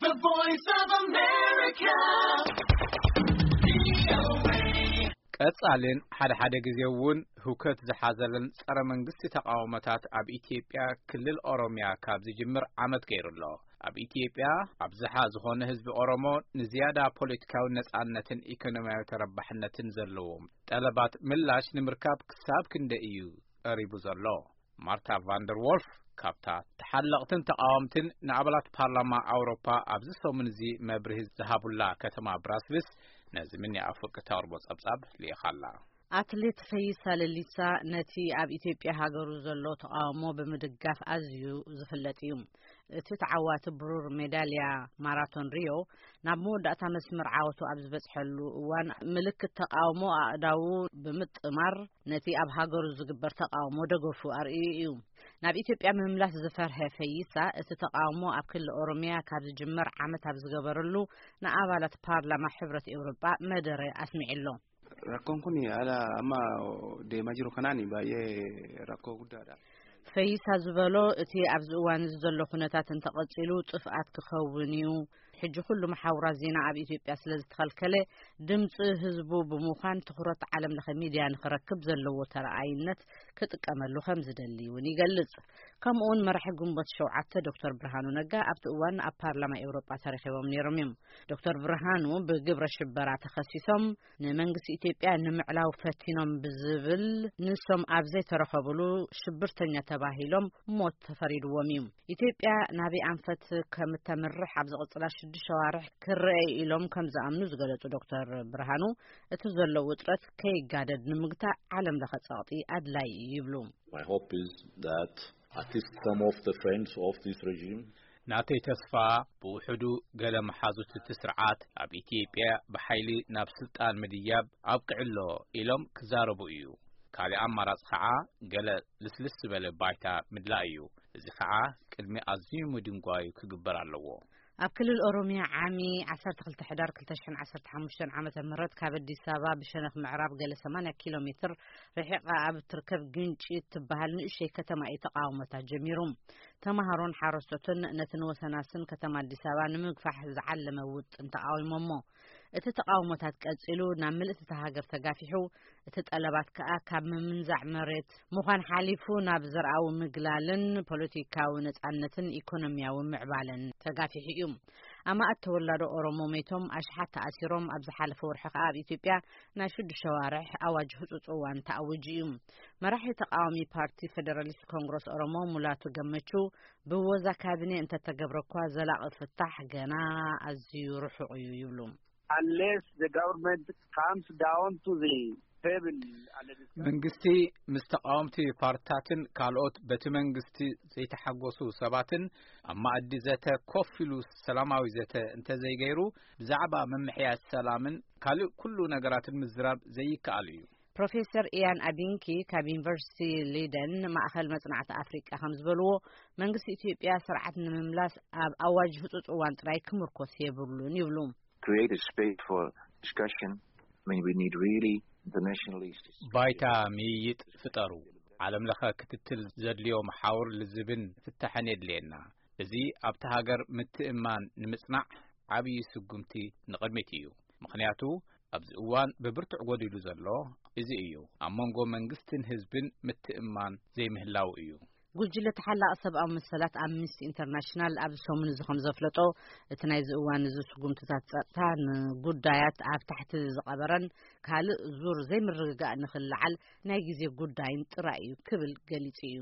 The Voice of America. ቀጻልን ሓደ ሓደ ግዜ እውን ህውከት ዝሓዘለን ጸረ መንግስቲ ተቃውሞታት ኣብ ኢትዮጵያ ክልል ኦሮሚያ ካብ ዝጅምር ዓመት ገይሩ ኣሎ። ኣብ ኢትዮጵያ ኣብዝሓ ዝኾነ ህዝቢ ኦሮሞ ንዝያዳ ፖለቲካዊ ነጻነትን ኢኮኖሚያዊ ተረባሕነትን ዘለዎም ጠለባት ምላሽ ንምርካብ ክሳብ ክንደይ እዩ ቀሪቡ ዘሎ? ማርታ ቫንደር ዎልፍ ካብታ ተሓለቕትን ተቃወምትን ንኣባላት ፓርላማ ኣውሮፓ ኣብዚ ሰሙን እዚ መብርሂ ዝሃቡላ ከተማ ብራስልስ ነዚ ምንያ ኣፍሪቃ ተቕርቦ ጸብጻብ ልኢኻላ። ኣትሌት ፈይሳ ለሊሳ ነቲ ኣብ ኢትዮጵያ ሃገሩ ዘሎ ተቃውሞ ብምድጋፍ ኣዝዩ ዝፍለጥ እዩ። እቲ ተዓዋቲ ብሩር ሜዳልያ ማራቶን ሪዮ ናብ መወዳእታ መስመር ዓወቱ ኣብ ዝበጽሐሉ እዋን ምልክት ተቃውሞ ኣእዳዉ ብምጥማር ነቲ ኣብ ሃገሩ ዝግበር ተቃውሞ ደገፉ ኣርእዩ እዩ። ናብ ኢትዮጵያ ምምላስ ዝፈርሀ ፈይሳ እቲ ተቃውሞ ኣብ ክልል ኦሮሚያ ካብ ዝጅመር ዓመት ኣብ ዝገበረሉ ንኣባላት ፓርላማ ሕብረት ኤውሮጳ መደረ ኣስሚዑ ኣሎ። Rakkoon kun haala amma deemaa jiru kanaan baay'ee rakkoo guddaadha. ፈይሳ ዝበሎ እቲ ኣብዚ እዋን እዚ ዘሎ ኩነታት እንተቐጺሉ ጥፍኣት ክኸውን እዩ። ሕጂ ኩሉ መሓውራት ዜና ኣብ ኢትዮጵያ ስለ ዝተኸልከለ ድምፂ ህዝቡ ብምዃን ትኹረት ዓለም ለኸ ሚድያ ንክረክብ ዘለዎ ተረኣይነት ክጥቀመሉ ከም ዝደሊ እውን ይገልጽ። ከምኡውን መራሒ ግንቦት ሸውዓተ ዶክተር ብርሃኑ ነጋ ኣብቲ እዋን ኣብ ፓርላማ ኤውሮጳ ተረኺቦም ነይሮም እዮም። ዶክተር ብርሃኑ ብግብረ ሽበራ ተኸሲሶም ንመንግስቲ ኢትዮጵያ ንምዕላው ፈቲኖም ብዝብል ንሶም ኣብ ዘይተረኸብሉ ሽብርተኛ ተባሂሎም ሞት ተፈሪድዎም እዩ። ኢትዮጵያ ናበይ ኣንፈት ከምተምርሕ ኣብ ዝቕጽላ ሽዱሽተ ሸዋርሕ ክረአ ኢሎም ከም ዝኣምኑ ዝገለጹ ዶክተር ብርሃኑ እቲ ዘሎ ውጥረት ከይጋደድ ንምግታእ ዓለም ለኸ ጸቕጢ ኣድላይ እዩ ይብሉ። My hope is that at least some of the friends of this regime ናተይ ተስፋ ብውሕዱ ገለ መሓዙት እቲ ስርዓት ኣብ ኢትዮጵያ ብሓይሊ ናብ ስልጣን ምድያብ ኣብቅዕሎ ኢሎም ክዛረቡ እዩ። ካልእ ኣማራጽ ኸዓ ገለ ልስልስ ዝበለ ባይታ ምድላእ እዩ። እዚ ኸዓ ቅድሚ ኣዝዩ ምድንጓዩ ክግበር ኣለዎ። ኣብ ክልል ኦሮሚያ ዓሚ ዓሰርተ ክልተ ሕዳር ክልተ ሽሕን ዓሰርተ ሓሙሽተን ዓመተ ምህረት ካብ ኣዲስ ኣበባ ብሸነኽ ምዕራብ ገለ ሰማንያ ኪሎ ሜትር ርሒቓ ኣብ እትርከብ ግንጪ እትበሃል ንእሽተይ ከተማ እዩ ተቃውሞታት ጀሚሩ። ተማሃሮን ሓረስቶትን ነቲ ንወሰናስን ከተማ ኣዲስ ኣበባ ንምግፋሕ ዝዓለመ ውጥን ተቃዊሞሞ። እቲ ተቃውሞታት ቀጺሉ ናብ ምልእቲ እታ ሃገር ተጋፊሑ፣ እቲ ጠለባት ከኣ ካብ ምምንዛዕ መሬት ምዃን ሓሊፉ ናብ ዘርኣዊ ምግላልን ፖለቲካዊ ነጻነትን ኢኮኖሚያዊ ምዕባለን ተጋፊሑ እዩ። ኣማእት ተወላዶ ኦሮሞ ሞይቶም፣ ኣሽሓት ተኣሲሮም፣ ኣብ ዝሓለፈ ወርሒ ከኣ ኣብ ኢትዮጵያ ናይ ሽዱሽተ ሸዋርሕ ኣዋጅ ህጹጽ እዋን ተኣዊጁ እዩ። መራሒ ተቃዋሚ ፓርቲ ፌደራሊስት ኮንግረስ ኦሮሞ ሙላቱ ገመቹ ብወዛ ካቢኔ እንተተገብረ እኳ ዘላቒ ፍታሕ ገና ኣዝዩ ርሑቕ እዩ ይብሉ። Unless the government comes down to the table and discuss መንግስቲ ምስ ተቃወምቲ ፓርትታትን ካልኦት በቲ መንግስቲ ዘይተሓጎሱ ሰባትን ኣብ ማእዲ ዘተ ኮፍ ኢሉ ሰላማዊ ዘተ እንተዘይገይሩ ብዛዕባ ምምሕያሽ ሰላምን ካልእ ኩሉ ነገራትን ምዝራብ ዘይከኣል እዩ። ፕሮፌሰር ኢያን ኣቢንኪ ካብ ዩኒቨርሲቲ ሊደን ማእኸል መጽናዕቲ ኣፍሪቃ ከም ዝበልዎ መንግስቲ ኢትዮጵያ ስርዓት ንምምላስ ኣብ ኣዋጅ ህጹጽ እዋን ጥራይ ክምርኮስ የብሉን ይብሉ። Create a space for discussion. I mean, we need really internationally. ባይታ ምይይጥ ፍጠሩ። ዓለም ለኸ ክትትል ዘድልዮ መሓውር ልዝብን ፍታሕን የድልየና። እዚ ኣብቲ ሃገር ምትእማን ንምጽናዕ ዓብዪ ስጉምቲ ንቕድሚት እዩ። ምኽንያቱ ኣብዚ እዋን ብብርቱዕ ጎዲሉ ዘሎ እዚ እዩ። ኣብ መንጎ መንግስትን ህዝብን ምትእማን ዘይምህላው እዩ። ጉጅለ ተሓላቒ ሰብኣዊ መሰላት ኣምኒስቲ ኢንተርናሽናል ኣብዚ ሰሙን እዚ ከም ዘፍለጦ እቲ ናይዚ እዋን እዚ ስጉምትታት ጸጥታ ንጉዳያት ኣብ ታሕቲ ዝቐበረን ካልእ ዙር ዘይምርግጋእ ንኽልዓል ናይ ግዜ ጉዳይን ጥራይ እዩ ክብል ገሊጹ እዩ።